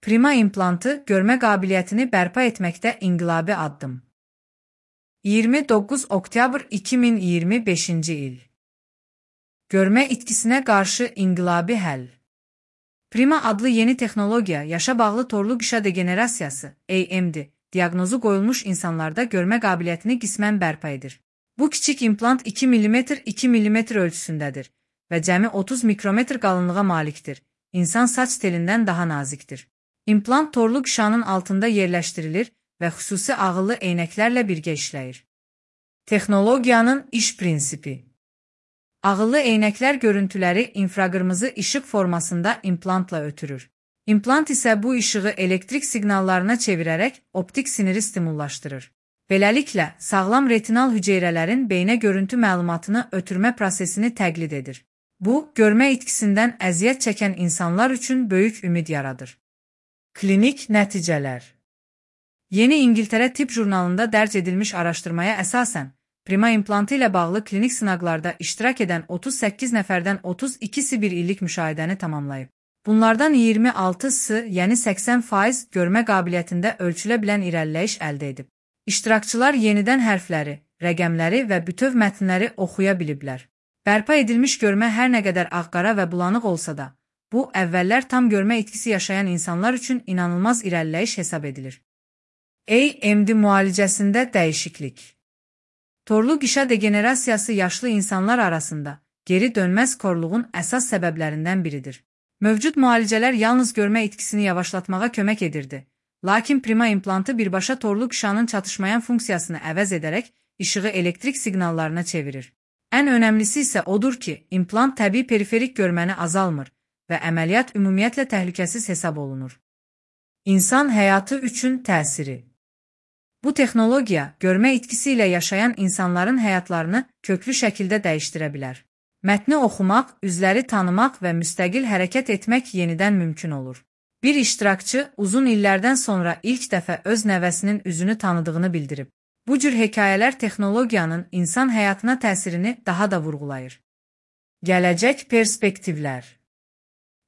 Prima implantı görmə qabiliyyətini bərpa etməkdə inqilabi addım. 29 oktyabr 2025-ci il. Görmə itkisinə qarşı inqilabi həll. Prima adlı yeni texnologiya yaşa bağlı torlu qışa degenerasiyası (AMD) diaqnozu qoyulmuş insanlarda görmə qabiliyyətini qismən bərpa edir. Bu kiçik implant 2 mm 2 mm ölçüsündədir və cəmi 30 mikrometr qalınlığa malikdir. İnsan saç telindən daha nazikdir. İmplant torlu qışanın altında yerləşdirilir və xüsusi ağıllı eynəklərlə birgə işləyir. Texnologiyanın iş prinsipi. Ağıllı eynəklər görüntüləri infraqırmızı işıq formasında implantla ötürür. İmplant isə bu işığı elektrik siqnallarına çevirərək optik siniri stimullaşdırır. Beləliklə, sağlam retinal hüceyrələrin beynə görüntü məlumatını ötürmə prosesini təqlid edir. Bu, görmə itkisindən əziyyət çəkən insanlar üçün böyük ümid yaradır. Klinik nəticələr. Yeni İngiltərə Tibb jurnalında dərc edilmiş araşdırmaya əsasən, prima implantı ilə bağlı klinik sınaqlarda iştirak edən 38 nəfərdən 32-si bir illik müşahidəni tamamlayıb. Bunlardan 26-sı, yəni 80% görmə qabiliyyətində ölçülə bilən irəliləyiş əldə edib. İştirakçılar yenidən hərfləri, rəqəmləri və bütöv mətnləri oxuya biliblər. Bərpa edilmiş görmə hər nə qədər ağqara və bulanıq olsa da, bu, əvvəllər tam görmə itkisi yaşayan insanlar üçün inanılmaz irəliləyiş hesab edilir. AMD müalicəsində dəyişiklik. Torlu qışa degenerasiyası yaşlı insanlar arasında geri dönməz korluğun əsas səbəblərindən biridir. Mövcud müalicələr yalnız görmə itkisini yavaşlatmağa kömək edirdi. Lakin prima implantı birbaşa torlu qışanın çatışmayan funksiyasını əvəz edərək işığı elektrik siqnallarına çevirir. Ən önəmlisi isə odur ki, implant təbii periferik görməni azalmır və əməliyyat ümumiyyətlə təhlükəsiz hesab olunur. İnsan həyatı üçün təsiri. Bu texnologiya, görmə itkisi ilə yaşayan insanların həyatlarını köklü şəkildə dəyişdirə bilər. Mətni oxumaq, üzləri tanımaq və müstəqil hərəkət etmək yenidən mümkün olur. Bir iştirakçı uzun illərdən sonra ilk dəfə öz nəvəsinin üzünü tanıdığını bildirib. Bu cür hekayələr texnologiyanın insan həyatına təsirini daha da vurğulayır. Gələcək perspektivlər.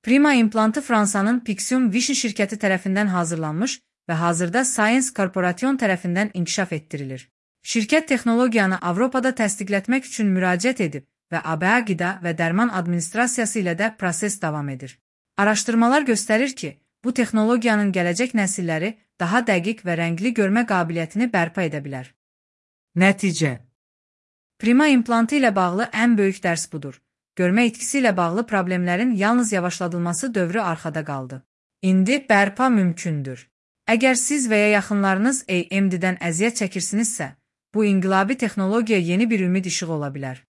Prima implantı Fransanın Pixium Vision şirkəti tərəfindən hazırlanmış və hazırda Science Corporation tərəfindən inkişaf etdirilir. Şirkət texnologiyanı Avropada təsdiqlətmək üçün müraciət edib və ABA Qida və Dərman Administrasiyası ilə də proses davam edir. Araşdırmalar göstərir ki, bu texnologiyanın gələcək nəsilləri daha dəqiq və rəngli görmə qabiliyyətini bərpa edə bilər. Nəticə. Prima implantı ilə bağlı ən böyük dərs budur. Görmə itkisi ilə bağlı problemlərin yalnız yavaşladılması dövrü arxada qaldı. İndi bərpa mümkündür. Əgər siz və ya yaxınlarınız AMD-dən əziyyət çəkirsinizsə, bu inqilabi texnologiya yeni bir ümid işığı ola bilər.